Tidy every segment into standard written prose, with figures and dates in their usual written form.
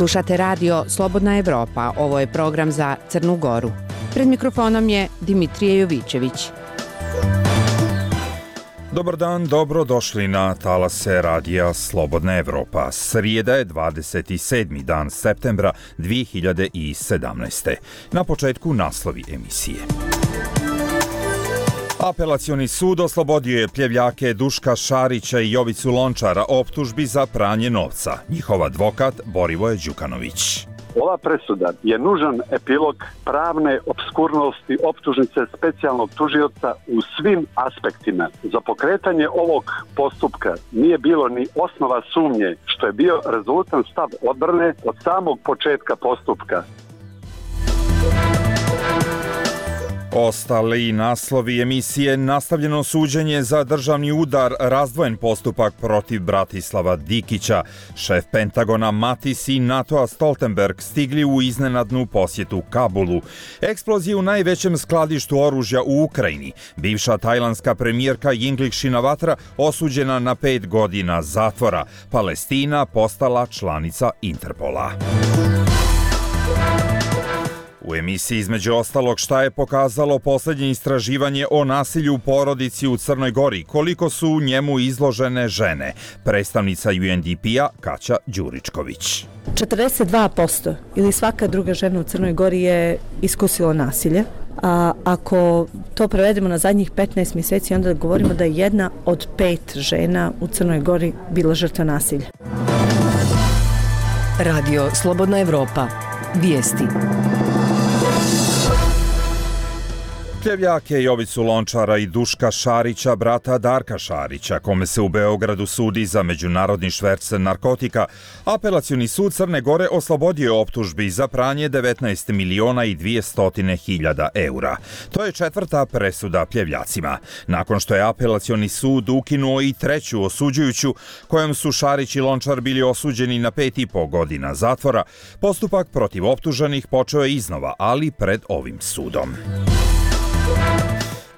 Slušate radio Slobodna Evropa, ovo je program za Crnu Goru. Pred mikrofonom je Dimitrije Jovićević. Dobar dan, dobro došli na talase radija Slobodna Evropa. Srijeda je 27. dan septembra 2017. Na početku naslovi emisije. Apelacioni sud oslobodio je pljevljake Duška Šarića i Jovicu Lončara optužbi za pranje novca. Njihov advokat Borivoje Đukanović. Ova presuda je nužan epilog pravne opskurnosti optužnice specijalnog tužioca u svim aspektima. Za pokretanje ovog postupka nije bilo ni osnova sumnje, što je bio rezultan stav odbrane od samog početka postupka. Ostali naslovi emisije: nastavljeno suđenje za državni udar, razdvojen postupak protiv Bratislava Dikića, šef Pentagona Matis i NATO-a Stoltenberg stigli u iznenadnu posjetu Kabulu, eksplozije u najvećem skladištu oružja u Ukrajini, bivša tajlandska premijerka Yingluck Shinawatra osuđena na 5 godina zatvora, Palestina postala članica Interpola. U emisiji između ostalog šta je pokazalo posljednje istraživanje o nasilju u porodici u Crnoj Gori, koliko su njemu izložene žene, predstavnica UNDP-a Kaća Đuričković. 42% ili svaka druga žena u Crnoj Gori je iskusila nasilje. A ako to prevedemo na zadnjih 15 mjeseci, onda govorimo da je 1 od 5 žena u Crnoj Gori bila žrtva nasilja. Radio Slobodna Evropa. Vijesti. Pljevljake Jovicu Lončara i Duška Šarića, brata Darka Šarića, kome se u Beogradu sudi za međunarodni šverc narkotika, apelacioni sud Crne Gore oslobodio je optužbi za pranje 19 miliona i 200 hiljada eura. To je 4. presuda pljevljacima. Nakon što je apelacioni sud ukinuo i 3. osuđujuću, kojom su Šarić i Lončar bili osuđeni na 5,5 godina zatvora, postupak protiv optuženih počeo je iznova, ali pred ovim sudom.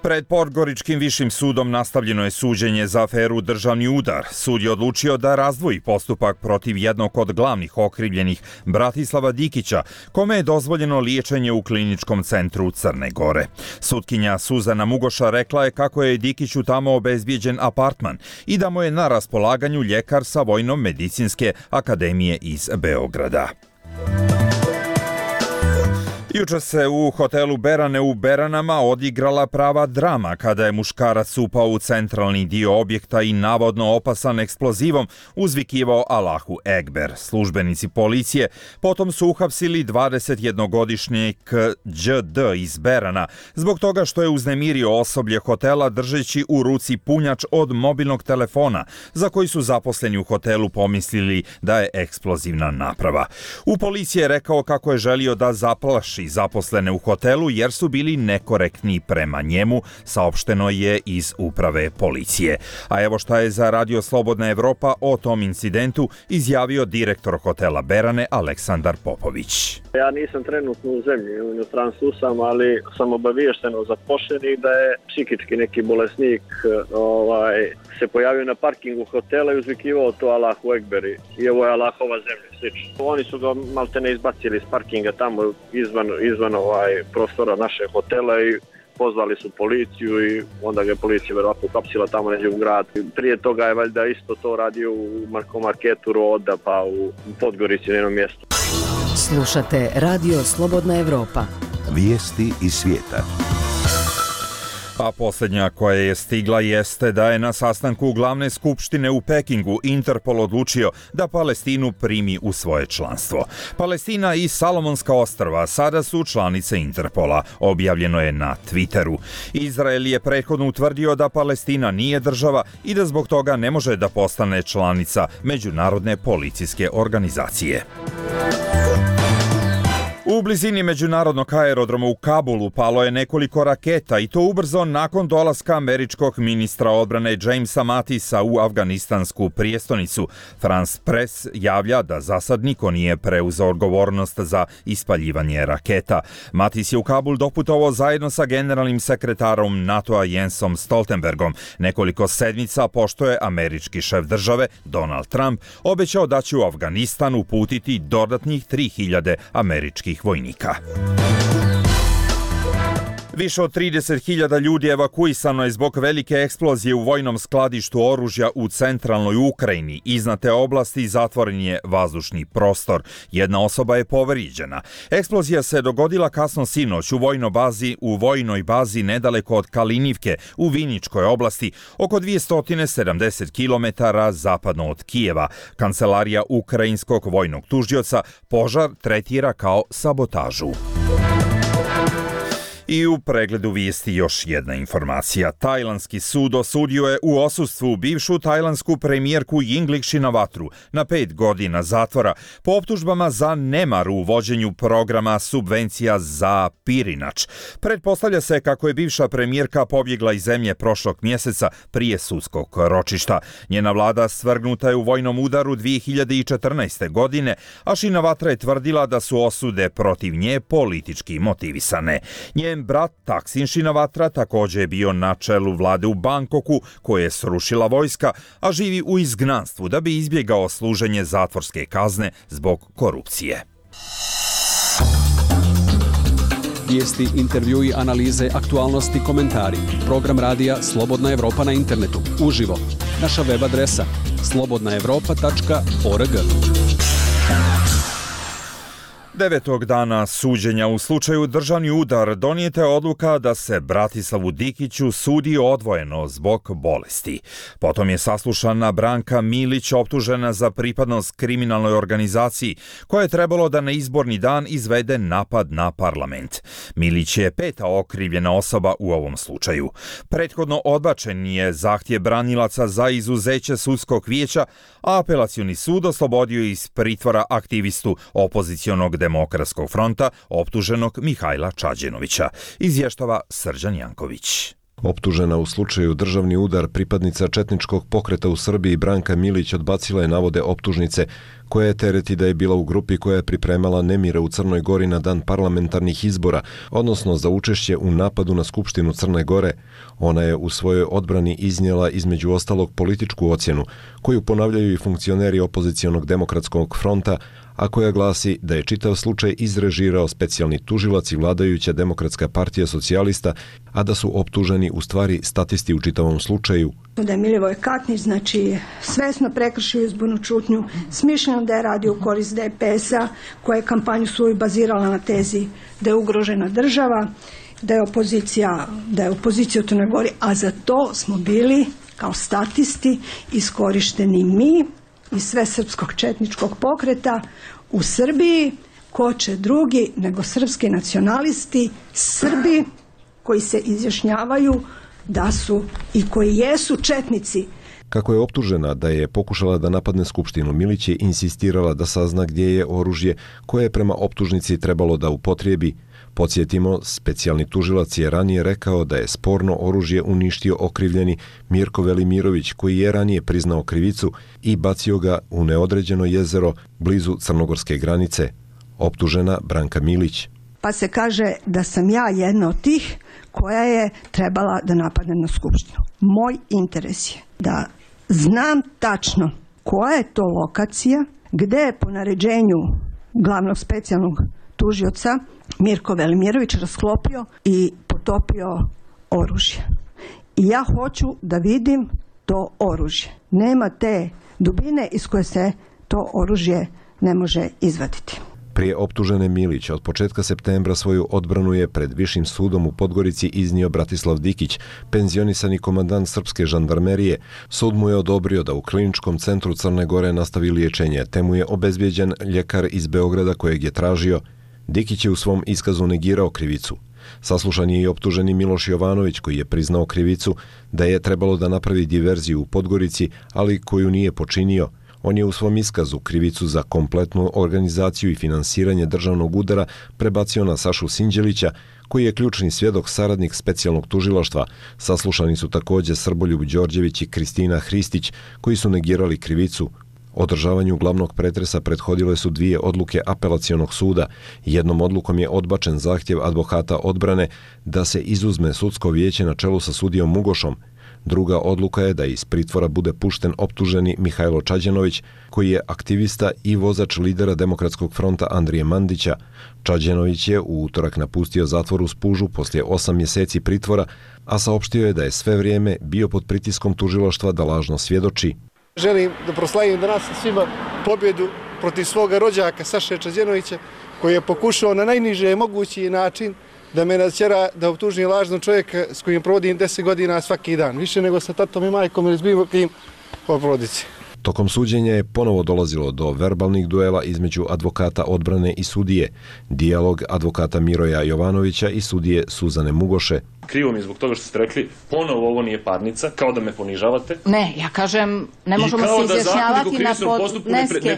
Pred Podgoričkim višim sudom nastavljeno je suđenje za aferu Državni udar. Sud je odlučio da razdvoji postupak protiv jednog od glavnih okrivljenih, Bratislava Dikića, kome je dozvoljeno liječenje u kliničkom centru Crne Gore. Sutkinja Suzana Mugoša rekla je kako je Dikiću tamo obezbijeđen apartman i da mu je na raspolaganju ljekar sa Vojno-medicinske akademije iz Beograda. Jučer se u hotelu Berane u Beranama odigrala prava drama kada je muškarac upao u centralni dio objekta i navodno opasan eksplozivom uzvikivao Allahu Ekber. Službenici policije potom su uhapsili 21-godišnjeg ĐD iz Berana zbog toga što je uznemirio osoblje hotela držeći u ruci punjač od mobilnog telefona za koji su zaposleni u hotelu pomislili da je eksplozivna naprava. U policiji je rekao kako je želio da zaplaši zaposlene u hotelu jer su bili nekorektni prema njemu, saopšteno je iz uprave policije. A evo šta je za Radio Slobodna Evropa o tom incidentu izjavio direktor hotela Berane Aleksandar Popović. Ja nisam trenutno u zemlji, u inostranstvu sam, ali sam obaviješten od zaposlenih da je psihički neki bolesnik se pojavio na parkingu hotela i uzvikivao to Allahu Ekber i ovo je Allahova zemlja. Slično. Oni su ga maltene izbacili iz parkinga tamo izvan prostora našeg hotela i pozvali su policiju i onda ga je policija verovatno uhapsila tamo neđe u grad. Prije toga je valjda isto to radio u marketu Roda pa u Podgorici na jednom mjestu. Slušate Radio Slobodna Evropa. Vijesti iz svijeta. A posljednja koja je stigla jeste da je na sastanku glavne skupštine u Pekingu Interpol odlučio da Palestinu primi u svoje članstvo. Palestina i Salomonska ostrva sada su članice Interpola, objavljeno je na Twitteru. Izrael je prethodno utvrdio da Palestina nije država i da zbog toga ne može da postane članica Međunarodne policijske organizacije. U blizini međunarodnog aerodroma u Kabulu palo je nekoliko raketa i to ubrzo nakon dolaska američkog ministra odbrane Jamesa Matisa u afganistansku prijestonicu. France Press javlja da za sad niko nije preuzeo odgovornost za ispaljivanje raketa. Matis je u Kabul doputovao zajedno sa generalnim sekretarom NATO-a Jensom Stoltenbergom. Nekoliko sedmica pošto je američki šef države Donald Trump obećao da će u Afganistan uputiti dodatnih 3000 američkih vojnika. Više od 30.000 ljudi evakuisano je zbog velike eksplozije u vojnom skladištu oružja u centralnoj Ukrajini. Iznad te oblasti zatvoren je vazdušni prostor. Jedna osoba je povrijeđena. Eksplozija se dogodila kasno sinoć u vojnoj bazi nedaleko od Kalinivke u Viničkoj oblasti, oko 270 km zapadno od Kijeva. Kancelarija ukrajinskog vojnog tužioca požar tretira kao sabotažu. I u pregledu vijesti još jedna informacija. Tajlandski sud osudio je u odsustvu bivšu tajlandsku premijerku Yingluck Shinawatru na 5 godina zatvora po optužbama za nemar u vođenju programa subvencija za pirinač. Pretpostavlja se kako je bivša premijerka pobjegla iz zemlje prošlog mjeseca prije sudskog ročišta. Njena vlada svrgnuta je u vojnom udaru 2014. godine, a Shinawatra je tvrdila da su osude protiv nje politički motivisane. Njen brat Thaksin Shinawatra također je bio na čelu vlade u Bangkoku koje je srušila vojska, a živi u izgnanstvu da bi izbjegao služenje zatvorske kazne zbog korupcije. Vijesti, intervjui, analize, aktualnosti, komentari. Program radija Slobodna Evropa na internetu. Uživo. Naša web adresa slobodnaevropa.org. 9. dana suđenja u slučaju državni udar donijeta je odluka da se Bratislavu Dikiću sudi odvojeno zbog bolesti. Potom je saslušana Branka Milić optužena za pripadnost kriminalnoj organizaciji koja je trebalo da na izborni dan izvede napad na parlament. Milić je 5. okrivljena osoba u ovom slučaju. Prethodno odbačen je zahtjev branilaca za izuzeće sudskog vijeća, a apelacioni sud oslobodio iz pritvora aktivistu opozicionog Demokratskog fronta optuženog Mihajla Čađenovića, izvještava Srđan Janković. Optužena u slučaju državni udar pripadnica četničkog pokreta u Srbiji Branka Milić odbacila je navode optužnice koja je tereti da je bila u grupi koja je pripremala nemire u Crnoj Gori na dan parlamentarnih izbora, odnosno za učešće u napadu na Skupštinu Crne Gore. Ona je u svojoj odbrani iznijela između ostalog političku ocjenu, koju ponavljaju i funkcioneri opozicionog Demokratskog fronta, a koja glasi da je čitav slučaj izrežirao specijalni tužilac i vladajuća Demokratska partija socijalista, a da su optuženi u stvari statisti u čitavom slučaju. Da je Milivoj Katnić, svesno prekršio izbornu čutnju, smišljeno da je radio u korist DPS-a, koja je kampanju svoju bazirala na tezi da je ugrožena država, da je opozicija u Crnoj Gori, a za to smo bili kao statisti iskorišteni mi i sve srpskog četničkog pokreta u Srbiji. Ko će drugi nego srpski nacionalisti, Srbi koji se izjašnjavaju da su i koji jesu četnici. Kako je optužena da je pokušala da napadne Skupštinu, Milić je insistirala da sazna gdje je oružje koje je prema optužnici trebalo da upotrijebi. Podsjetimo, specijalni tužilac je ranije rekao da je sporno oružje uništio okrivljeni Mirko Velimirović, koji je ranije priznao krivicu i bacio ga u neodređeno jezero blizu crnogorske granice. Optužena Branka Milić. Pa se kaže da sam ja jedna od tih koja je trebala da napadne na Skupštinu. Moj interes je da znam tačno koja je to lokacija, gde je po naređenju glavnog specijalnog tužioca Mirko Velimirović rasklopio i potopio oružje. I ja hoću da vidim to oružje. Nema te dubine iz koje se to oružje ne može izvaditi. Prije optužene Milić od početka septembra svoju odbranu je pred Višim sudom u Podgorici iznio Bratislav Dikić, penzionisani komandant srpske žandarmerije. Sud mu je odobrio da u Kliničkom centru Crne Gore nastavi liječenje, te mu je obezbijeđen ljekar iz Beograda kojeg je tražio. Dikić je u svom iskazu negirao krivicu. Saslušan je i optuženi Miloš Jovanović, koji je priznao krivicu da je trebalo da napravi diverziju u Podgorici, ali koju nije počinio. On je u svom iskazu krivicu za kompletnu organizaciju i finansiranje državnog udara prebacio na Sašu Sinđelića, koji je ključni svjedok saradnik specijalnog tužilaštva. Saslušani su također Srboljub Đorđević i Kristina Hristić, koji su negirali krivicu. Održavanju glavnog pretresa prethodile su 2 odluke apelacionog suda. Jednom odlukom je odbačen zahtjev advokata odbrane da se izuzme sudsko vijeće na čelu sa sudijom Mugošom. Druga odluka je da iz pritvora bude pušten optuženi Mihajlo Čađenović, koji je aktivista i vozač lidera Demokratskog fronta Andrije Mandića. Čađenović je u utorak napustio zatvor u Spužu poslije 8 mjeseci pritvora, a saopštio je da je sve vrijeme bio pod pritiskom tužilaštva da lažno svjedoči. Želim da proslavim danas svima pobjedu protiv svoga rođaka Saše Čađenovića, koji je pokušao na najniže mogući način da me natjera da optužim lažnog čovjeka s kojim provodim 10 godina svaki dan. Više nego sa tatom i majkom ili s bilo kim o porodici. Tokom suđenja je ponovo dolazilo do verbalnih duela između advokata odbrane i sudije. Dijalog advokata Miroja Jovanovića i sudije Suzane Mugoše. Krivo mi je zbog toga što ste rekli, ponovo ovo nije parnica, kao da me ponižavate. Ne, ja kažem, ne možemo se izjašnjavati na podneske.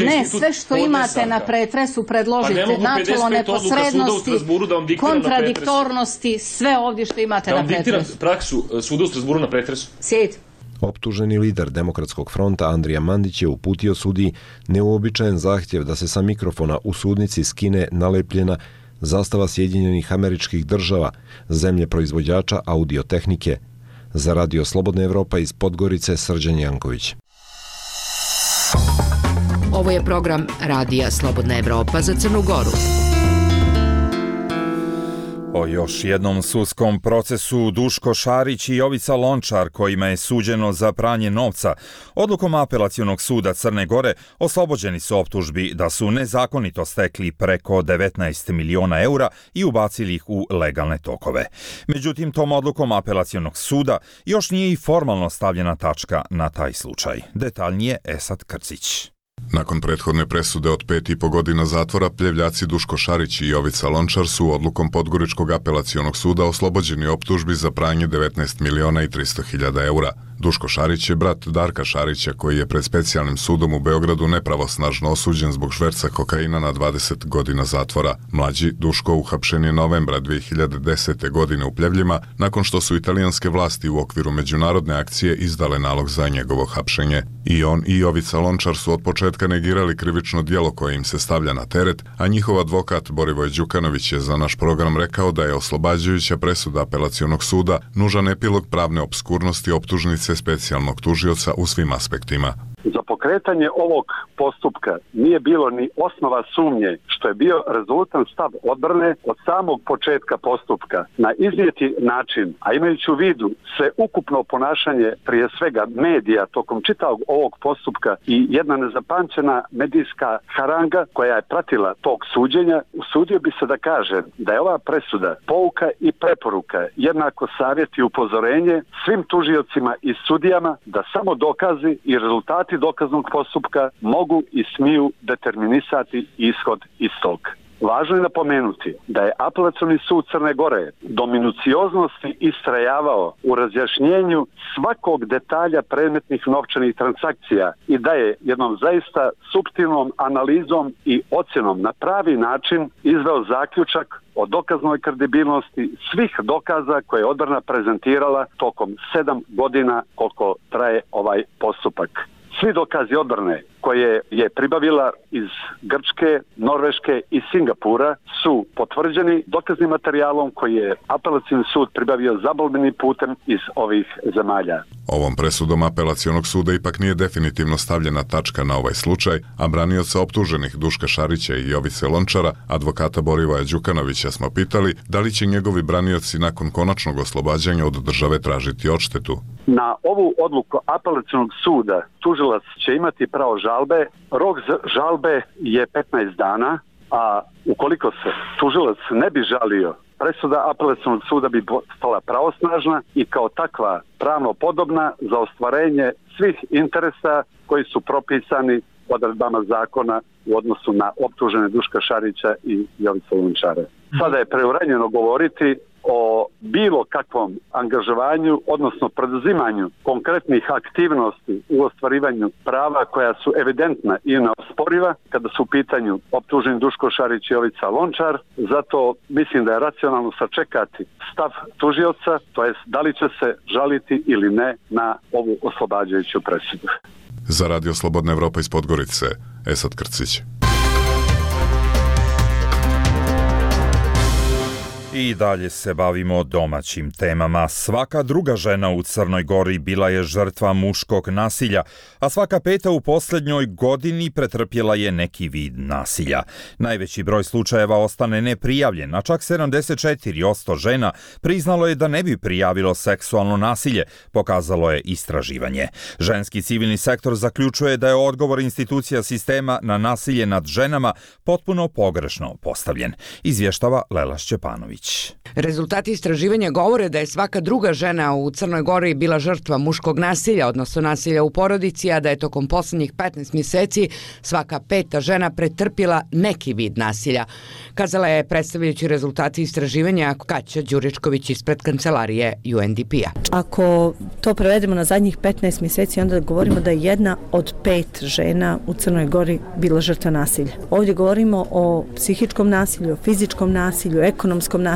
Ne, sve što imate na pretresu predložite. Načelo neposrednosti, kontradiktornosti, sve ovdje što imate na pretresu. Da vam diktiram praksu suda u Strasburu na pretresu. Sjed. Optuženi lider Demokratskog fronta Andrija Mandić je uputio sudiji neuobičajen zahtjev da se sa mikrofona u sudnici skine nalepljena zastava Sjedinjenih Američkih Država, zemlje proizvođača audiotehnike. Za Radio Slobodna Evropa iz Podgorice, Srđan Janković. Ovo je program Radija Slobodna Evropa za Crnu Goru. O još jednom sudskom procesu Duško Šarić i Jovica Lončar, kojima je suđeno za pranje novca, odlukom apelacionog suda Crne Gore oslobođeni su optužbi da su nezakonito stekli preko 19 miliona eura i ubacili ih u legalne tokove. Međutim, tom odlukom apelacionog suda još nije i formalno stavljena tačka na taj slučaj. Detaljnije Esad Krcić. Nakon prethodne presude od 5,5 godina zatvora, pljevljaci Duško Šarić i Jovica Lončar su odlukom Podgoričkog apelacionog suda oslobođeni optužbi za pranje 19 miliona i 300 hiljada eura. Duško Šarić je brat Darka Šarića, koji je pred specijalnim sudom u Beogradu nepravosnažno osuđen zbog šverca kokaina na 20 godina zatvora. Mlađi Duško uhapšen je novembra 2010. godine u Pljevljima, nakon što su italijanske vlasti u okviru međunarodne akcije izdale nalog za njegovo hapšenje. I on i Jovica Lončar su od početka negirali krivično djelo koje im se stavlja na teret, a njihov advokat Borivoj Đukanović je za naš program rekao da je oslobađajuća presuda apelacionog suda nužan epilog pravne opskurnosti optužnice specijalnog tužioca u svim aspektima. Za pokretanje ovog postupka nije bilo ni osnova sumnje, što je bio rezultan stav odbrane od samog početka postupka. Na iznijeti način, a imajući u vidu sve ukupno ponašanje prije svega medija tokom čitavog ovog postupka i jedna nezapamćena medijska haranga koja je pratila tog suđenja, usudio bi se da kaže da je ova presuda pouka i preporuka, jednako savjet i upozorenje svim tužiocima i sudijama da samo dokazi i rezultati dokaznog postupka mogu i smiju determinisati ishod istog. Važno je napomenuti da je apelacioni sud Crne Gore do minucioznosti istrajavao u razjašnjenju svakog detalja predmetnih novčanih transakcija i da je jednom zaista suptilnom analizom i ocjenom na pravi način izveo zaključak o dokaznoj kredibilnosti svih dokaza koje je odbrana prezentirala tokom 7 godina koliko traje ovaj postupak. Svi dokazi odbrane koje je pribavila iz Grčke, Norveške i Singapura su potvrđeni dokaznim materijalom koji je apelacioni sud pribavio zabalbenim putem iz ovih zemalja. Ovom presudom apelacionog suda ipak nije definitivno stavljena tačka na ovaj slučaj, a branioca optuženih Duška Šarića i Jovice Lončara, advokata Borivoja Đukanovića, smo pitali da li će njegovi branioci nakon konačnog oslobađanja od države tražiti odštetu. Na ovu odluku apelacionog suda tužilac će imati pravo žalbe. Rok za žalbe je 15 dana, a ukoliko se tužilac ne bi žalio, presuda apelacionog suda bi postala pravosnažna i kao takva pravno podobna za ostvarenje svih interesa koji su propisani odredbama zakona u odnosu na optužene Duška Šarića i Jovicu Lončara. Sada je preuranjeno govoriti o bilo kakvom angažovanju, odnosno preduzimanju konkretnih aktivnosti u ostvarivanju prava koja su evidentna i neosporiva kada su u pitanju optuženi Duško Šarić i Jovica Lončar. Zato mislim da je racionalno sačekati stav tužioca, to jest da li će se žaliti ili ne na ovu oslobađajuću presudu. Za Radio Slobodna Evropa iz Podgorice, Esad Krcić. I dalje se bavimo domaćim temama. Svaka druga žena u Crnoj Gori bila je žrtva muškog nasilja, a svaka peta u posljednjoj godini pretrpjela je neki vid nasilja. Najveći broj slučajeva ostane neprijavljen, a čak 74% žena priznalo je da ne bi prijavilo seksualno nasilje, pokazalo je istraživanje. Ženski civilni sektor zaključuje da je odgovor institucija sistema na nasilje nad ženama potpuno pogrešno postavljen. Izvještava Lela Šćepanović. Rezultati istraživanja govore da je svaka druga žena u Crnoj Gori bila žrtva muškog nasilja, odnosno nasilja u porodici, a da je tokom posljednjih 15 mjeseci svaka peta žena pretrpila neki vid nasilja. Kazala je predstavljajući rezultati istraživanja Kaća Đuričković ispred kancelarije UNDP-a. Ako to prevedemo na zadnjih 15 mjeseci, onda govorimo da je 1 od 5 žena u Crnoj Gori bila žrtva nasilja. Ovdje govorimo o psihičkom nasilju, o fizičkom nasilju, ekonomskom nasilju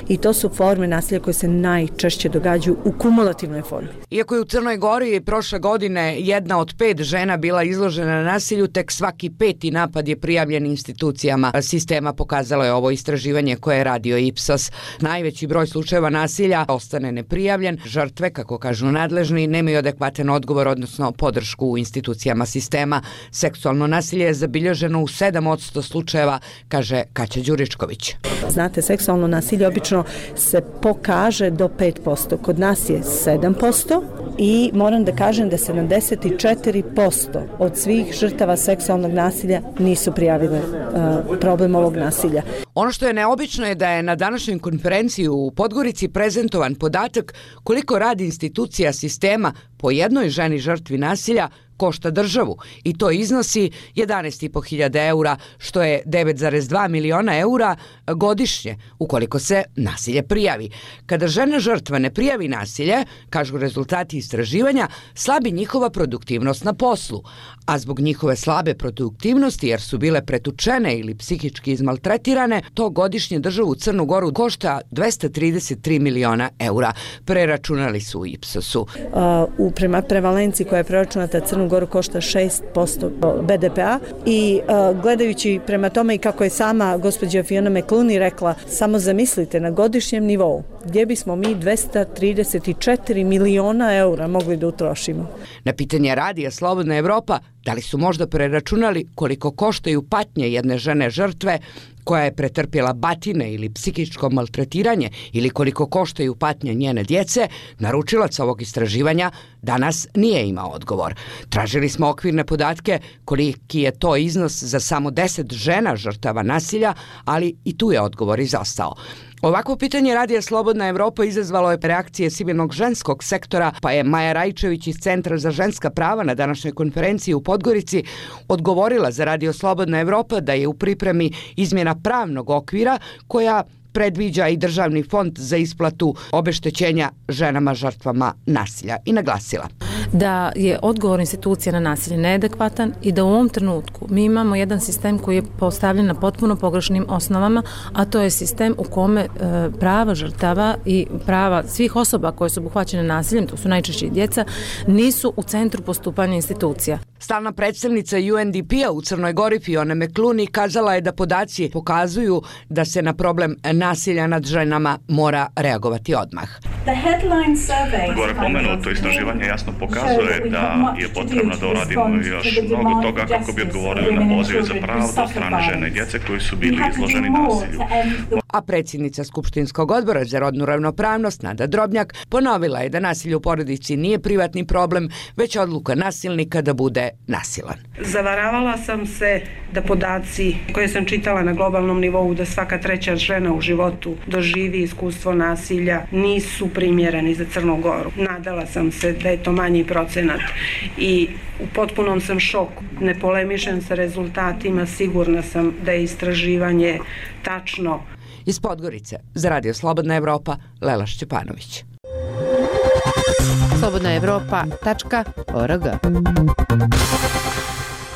i to su forme nasilja koje se najčešće događaju u kumulativnoj formi. Iako je u Crnoj Gori prošle godine 1 od 5 žena bila izložena nasilju, tek svaki 5. napad je prijavljen institucijama sistema, pokazalo je ovo istraživanje koje je radio Ipsos. Najveći broj slučajeva nasilja ostane neprijavljen. Žrtve, kako kažu nadležni, nemaju adekvatan odgovor, odnosno podršku u institucijama sistema. Seksualno nasilje je zabilježeno u 7% slučajeva, kaže Kaća Đuričković. Znate, seksualno nasilje obično se pokaže do 5%. Kod nas je 7% i moram da kažem da 74% od svih žrtava seksualnog nasilja nisu prijavile problem ovog nasilja. Ono što je neobično je da je na današnjoj konferenciji u Podgorici prezentovan podatak koliko radi institucija sistema po jednoj ženi žrtvi nasilja košta državu i to iznosi 11.500 eura, što je 9,2 miliona eura godišnje ukoliko se nasilje prijavi. Kada žena žrtva ne prijavi nasilje, kažu rezultati istraživanja, slabi njihova produktivnost na poslu, a zbog njihove slabe produktivnosti jer su bile pretučene ili psihički izmaltretirane, to godišnje državu Crnu Goru košta 233 miliona eura. Preračunali su u Ipsosu. Prema prevalenciji koja je preračunata Crnu Goru košta 6% BDP-a i gledajući prema tome i kako je sama gospođa Fiona McClooney rekla, samo zamislite na godišnjem nivou gdje bismo mi 234 miliona eura mogli da utrošimo. Na pitanje radija Slobodna Evropa, da li su možda preračunali koliko koštaju patnje jedne žene žrtve koja je pretrpjela batine ili psihičko maltretiranje ili koliko koštaju patnje njene djece, naručilac ovog istraživanja danas nije imao odgovor. Tražili smo okvirne podatke koliki je to iznos za samo 10 žena žrtava nasilja, ali i tu je odgovor izostao. Ovako pitanje radija Slobodna Evropa izazvalo je reakcije civilnog ženskog sektora, pa je Maja Rajčević iz Centra za ženska prava na današnjoj konferenciji u Podgorici odgovorila za radio Slobodna Evropa da je u pripremi izmjena pravnog okvira koja predviđa i državni fond za isplatu obeštećenja ženama žrtvama nasilja i naglasila da je odgovor institucija na nasilje neadekvatan i da u ovom trenutku mi imamo jedan sistem koji je postavljen na potpuno pogrešnim osnovama, a to je sistem u kome prava žrtava i prava svih osoba koje su obuhvaćene nasiljem, to su najčešće i djeca, nisu u centru postupanja institucija. Stalna predstavnica UNDP-a u Crnoj Gori Fiona McClooney kazala je da podaci pokazuju da se na problem nasilja nad ženama mora reagovati odmah. Gore pomenuto istraživanje jasno pokazuje da je potrebno da uradimo još mnogo toga kako bi odgovorili na pozive za pravdu od strane žene i djece koji su bili izloženi nasilju. A predsjednica Skupštinskog odbora za rodnu ravnopravnost Nada Drobnjak ponovila je da nasilje u porodici nije privatni problem, već odluka nasilnika da bude nasilan. Zavaravala sam se da podaci koje sam čitala na globalnom nivou da svaka treća žena u životu doživi iskustvo nasilja nisu primjereni za Crnu Goru. Nadala sam se da je to manji procenat i u potpunom sam šoku. Ne polemišem sa rezultatima, sigurna sam da je istraživanje tačno. Iz Podgorice, za Radio Slobodna Evropa, Lela Šćepanović. slobodnaevropa.org.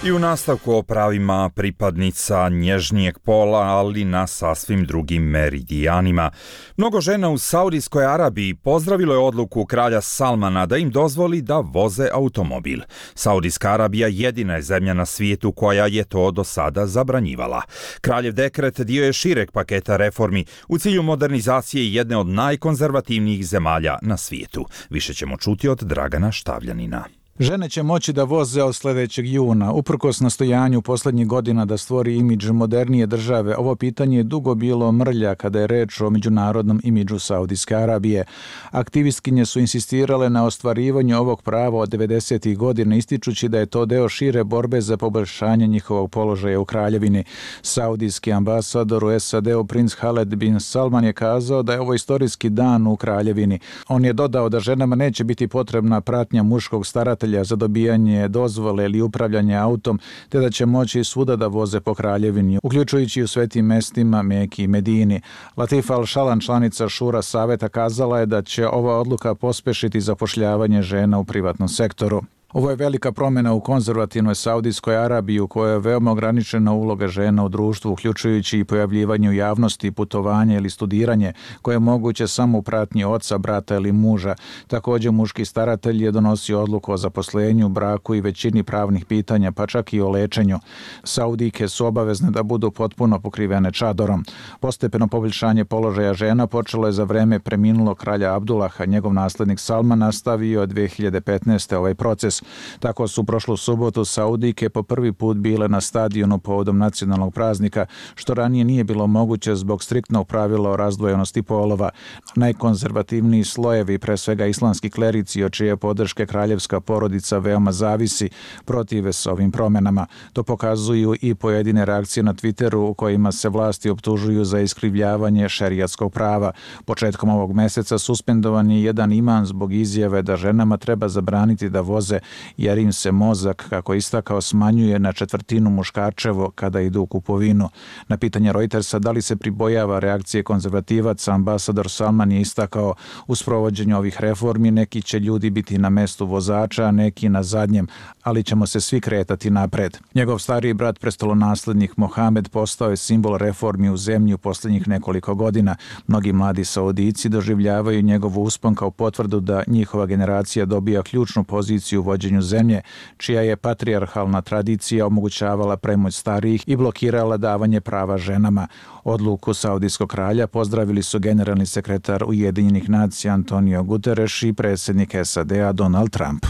I u nastavku o pravima pripadnica nježnijeg pola, ali na sasvim drugim meridijanima. Mnogo žena u Saudijskoj Arabiji pozdravilo je odluku kralja Salmana da im dozvoli da voze automobil. Saudijska Arabija jedina je zemlja na svijetu koja je to do sada zabranjivala. Kraljev dekret dio je šireg paketa reformi u cilju modernizacije jedne od najkonzervativnijih zemalja na svijetu. Više ćemo čuti od Dragana Štavljanina. Žene će moći da voze od sljedećeg juna. Uprkos nastojanju posljednjih godina da stvori imidž modernije države, ovo pitanje je dugo bilo mrlja kada je reč o međunarodnom imidžu Saudijske Arabije. Aktivistkinje su insistirale na ostvarivanju ovog prava od 90. godina, ističući da je to deo šire borbe za poboljšanje njihovog položaja u kraljevini. Saudijski ambasador u SAD-u princ Khaled bin Salman je kazao da je ovo istorijski dan u kraljevini. On je dodao da ženama neće biti potrebna pratnja muškog staratelja za dobijanje dozvole ili upravljanje autom, te da će moći svuda da voze po kraljevini, uključujući u svetim mestima Meki i Medini. Latifa Al-Šalan, članica Šura saveta, kazala je da će ova odluka pospešiti zapošljavanje žena u privatnom sektoru. Ovo je velika promjena u konzervativnoj Saudijskoj Arabiji u kojoj je veoma ograničena uloga žena u društvu, uključujući i pojavljivanje u javnosti, putovanje ili studiranje, koje je moguće samo u pratnji oca, brata ili muža. Također, muški staratelj je donosio odluku o zaposlenju, braku i većini pravnih pitanja, pa čak i o lečenju. Saudijke su obavezne da budu potpuno pokrivene čadorom. Postepeno poboljšanje položaja žena počelo je za vreme preminulog kralja Abdullaha. Njegov naslednik Salman nastavio od 2015. ovaj proces. Tako su prošlu subotu Saudijke po prvi put bile na stadionu povodom nacionalnog praznika, što ranije nije bilo moguće zbog striktnog pravila o razdvojenosti polova. Najkonzervativniji slojevi, pre svega islamski klerici, od čije podrške kraljevska porodica veoma zavisi, protive se ovim promjenama. To pokazuju i pojedine reakcije na Twitteru u kojima se vlasti optužuju za iskrivljavanje šerijatskog prava. Početkom ovog meseca suspendovan je jedan imam zbog izjave da ženama treba zabraniti da voze jer im se mozak, kako je istakao, smanjuje na 1/4 muškarčevo kada idu u kupovinu. Na pitanje Reutersa da li se pribojava reakcije konzervativaca, ambasador Salman je istakao: u sprovođenju ovih reformi neki će ljudi biti na mestu vozača, a neki na zadnjem, ali ćemo se svi kretati napred. Njegov stariji brat, prestolonaslednik Mohamed, postao je simbol reformi u zemlji u posljednjih nekoliko godina. Mnogi mladi Saudijci doživljavaju njegovu uspon kao potvrdu da njihova generacija dobija ključnu poziciju u vođenju zemlje, čija je patrijarhalna tradicija omogućavala premoć starijih i blokirala davanje prava ženama. Odluku saudijskog kralja pozdravili su generalni sekretar Ujedinjenih nacija Antonio Guterres i predsjednik SAD-a Donald Trump.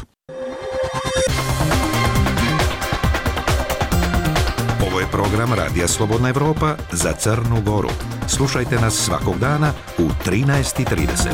Ovo je program Radija Slobodna Evropa za Crnu Goru. Slušajte nas svakog dana u 13:30.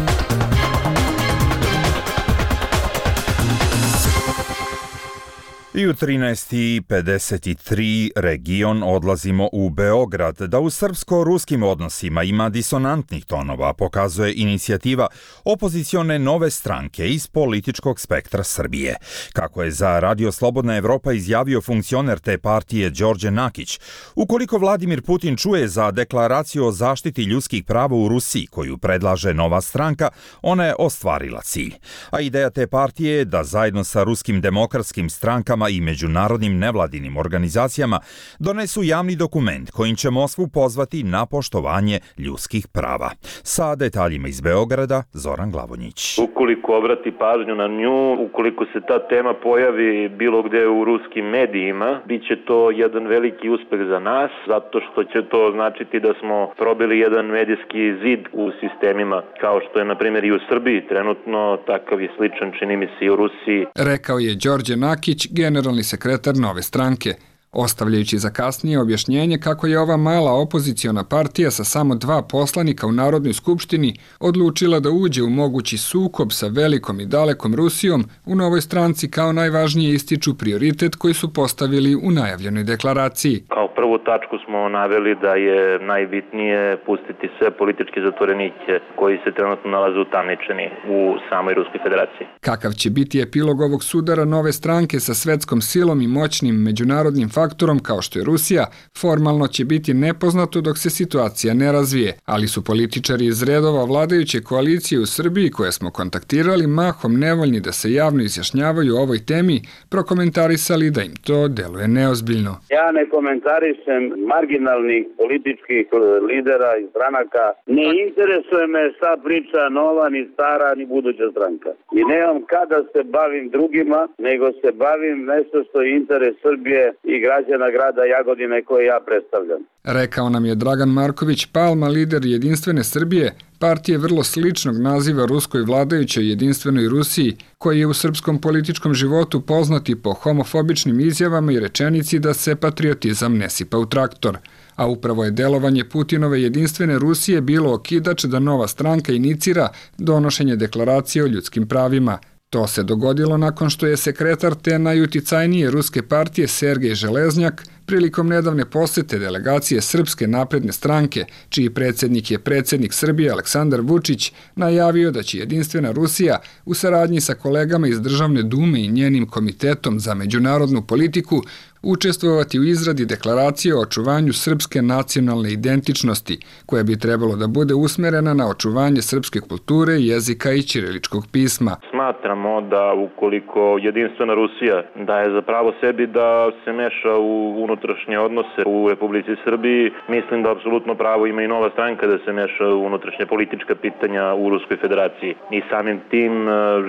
I u 13:53 region odlazimo u Beograd, da u srpsko-ruskim odnosima ima disonantnih tonova, pokazuje inicijativa opozicione nove stranke iz političkog spektra Srbije. Kako je za Radio Slobodna Evropa izjavio funkcioner te partije Đorđe Nakić, ukoliko Vladimir Putin čuje za deklaraciju o zaštiti ljudskih prava u Rusiji koju predlaže nova stranka, ona je ostvarila cilj. A ideja te partije je da zajedno sa ruskim demokratskim strankama i međunarodnim nevladinim organizacijama donesu javni dokument kojim će Moskvu pozvati na poštovanje ljudskih prava. Sa detaljima iz Beograda, Zoran Glavonjić. Ukoliko obrati pažnju na nju, ukoliko se ta tema pojavi bilo gde u ruskim medijima, bit će to jedan veliki uspeh za nas, zato što će to značiti da smo probili jedan medijski zid u sistemima, kao što je na primjer i u Srbiji trenutno, takav je sličan, čini mi se, i u Rusiji. Rekao je Đorđe Nakić, generalni sekretar nove stranke, ostavljajući za kasnije objašnjenje kako je ova mala opoziciona partija sa samo 2 poslanika u Narodnoj skupštini odlučila da uđe u mogući sukob sa velikom i dalekom Rusijom. U novoj stranci kao najvažnije ističu prioritet koji su postavili u najavljenoj deklaraciji. Kao prvu tačku smo naveli da je najbitnije pustiti sve političke zatvorenike koji se trenutno nalaze utamničeni u samoj Ruskoj federaciji. Kakav će biti epilog ovog sudara nove stranke sa svetskom silom i moćnim međunarodnim faktorom faktorom kao što je Rusija, formalno će biti nepoznato dok se situacija ne razvije, ali su političari iz redova vladajuće koalicije u Srbiji koje smo kontaktirali mahom nevoljni da se javno izjašnjavaju o ovoj temi, prokomentarisali da im to deluje neozbiljno. Ja ne komentarišem marginalnih političkih lidera i stranaka. Ne interesuje me šta priča nova, ni stara, ni buduća stranka. I nemam kada se bavim drugima, nego se bavim nešto što je interes Srbije i građana grada Jagodine koje ja predstavljam. Rekao nam je Dragan Marković Palma, lider Jedinstvene Srbije, partije vrlo sličnog naziva ruskoj vladajućoj Jedinstvenoj Rusiji, koji je u srpskom političkom životu poznati po homofobičnim izjavama i rečenici da se patriotizam ne sipa u traktor. A upravo je delovanje Putinove Jedinstvene Rusije bilo okidač da nova stranka inicira donošenje deklaracije o ljudskim pravima. To se dogodilo nakon što je sekretar te najuticajnije ruske partije Sergej Železnjak prilikom nedavne posete delegacije Srpske napredne stranke, čiji predsjednik je predsjednik Srbije Aleksandar Vučić, najavio da će Jedinstvena Rusija u saradnji sa kolegama iz Državne dume i njenim komitetom za međunarodnu politiku učestvovati u izradi deklaracije o očuvanju srpske nacionalne identičnosti, koja bi trebalo da bude usmerena na očuvanje srpske kulture, jezika i ćiriličkog pisma. Smatramo da ukoliko Jedinstvena Rusija daje za pravo sebi da se meša u unutrašnje odnose u Republici Srbiji, mislim da apsolutno pravo ima i nova stranka da se meša u unutrašnje politička pitanja u Ruskoj federaciji. I samim tim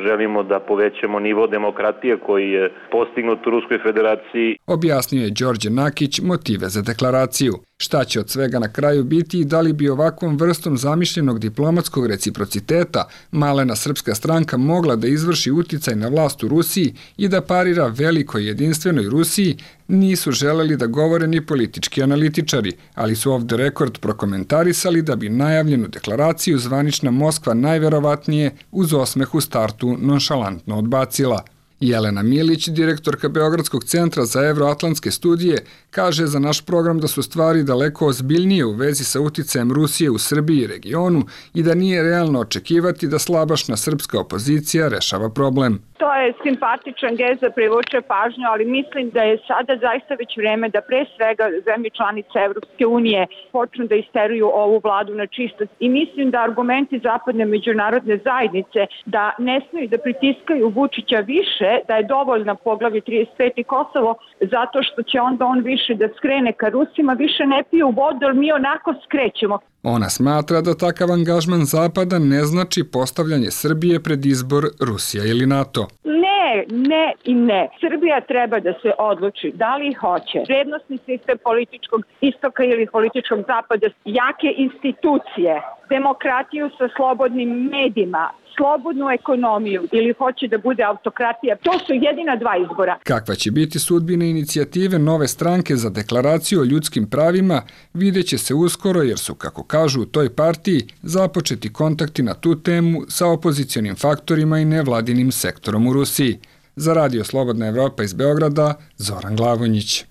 želimo da povećamo nivo demokratije koji je postignut u Ruskoj federaciji. Objasnio je Đorđe Nakić motive za deklaraciju. Šta će od svega na kraju biti i da li bi ovakvom vrstom zamišljenog diplomatskog reciprociteta malena srpska stranka mogla da izvrši uticaj na vlast u Rusiji i da parira velikoj Jedinstvenoj Rusiji, nisu želeli da govore ni politički analitičari, ali su off the record prokomentarisali da bi najavljenu deklaraciju zvanična Moskva najverovatnije uz osmeh u startu nonšalantno odbacila. Jelena Milić, direktorka Beogradskog centra za evroatlantske studije, kaže za naš program da su stvari daleko ozbiljnije u vezi sa uticajem Rusije u Srbiji i regionu i da nije realno očekivati da slabašna srpska opozicija rešava problem. To je simpatičan gest da privuče pažnju, ali mislim da je sada zaista već vreme da pre svega zemlje članice Evropske unije počnu da isteruju ovu vladu na čisto. I mislim da argumenti zapadne međunarodne zajednice da ne smeju da pritiskaju Vučića više, da je dovoljna poglavlje 35 i Kosovo, zato što će onda on više da skrene ka Rusima, više ne piju vodu, jer mi onako skrećemo. Ona smatra da takav angažman Zapada ne znači postavljanje Srbije pred izbor Rusija ili NATO. Ne i ne. Srbija treba da se odluči da li hoće vrednosni sistem političkog istoka ili političkog zapada, jake institucije, demokratiju sa slobodnim medijima, slobodnu ekonomiju ili hoće da bude autokratija. To su jedina dva izbora. Kakva će biti sudbina inicijative nove stranke za deklaraciju o ljudskim pravima, vidjet će se uskoro jer su, kako kažu u toj partiji, započeti kontakti na tu temu sa opozicionim faktorima i nevladinim sektorom u Rusiji. Za Radio Slobodna Evropa iz Beograda, Zoran Glavonjić.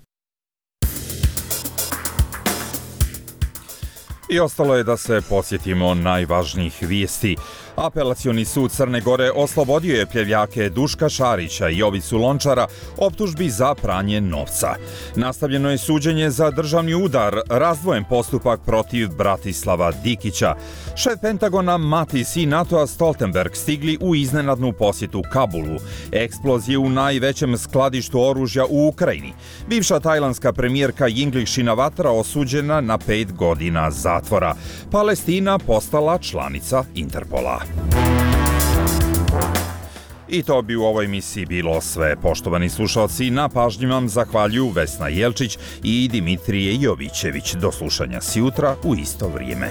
I ostalo je da se podsjetimo najvažnijih vijesti. Apelacioni sud Crne Gore oslobodio je pljevljake Duška Šarića i Jovicu Lončara optužbi za pranje novca. Nastavljeno je suđenje za državni udar, razdvojen postupak protiv Bratislava Dikića. Šef Pentagona Mattis i NATO-a Stoltenberg stigli u iznenadnu posjetu Kabulu. Eksplozije u najvećem skladištu oružja u Ukrajini. Bivša tajlandska premijerka Yingluck Shinawatra osuđena na 5 godina zatvora. Palestina postala članica Interpola. I to bi u ovoj emisiji bilo sve. Poštovani slušalci, na pažnji vam zahvaljuju Vesna Jelčić i Dimitrije Jovićević. Do slušanja sjutra u isto vrijeme.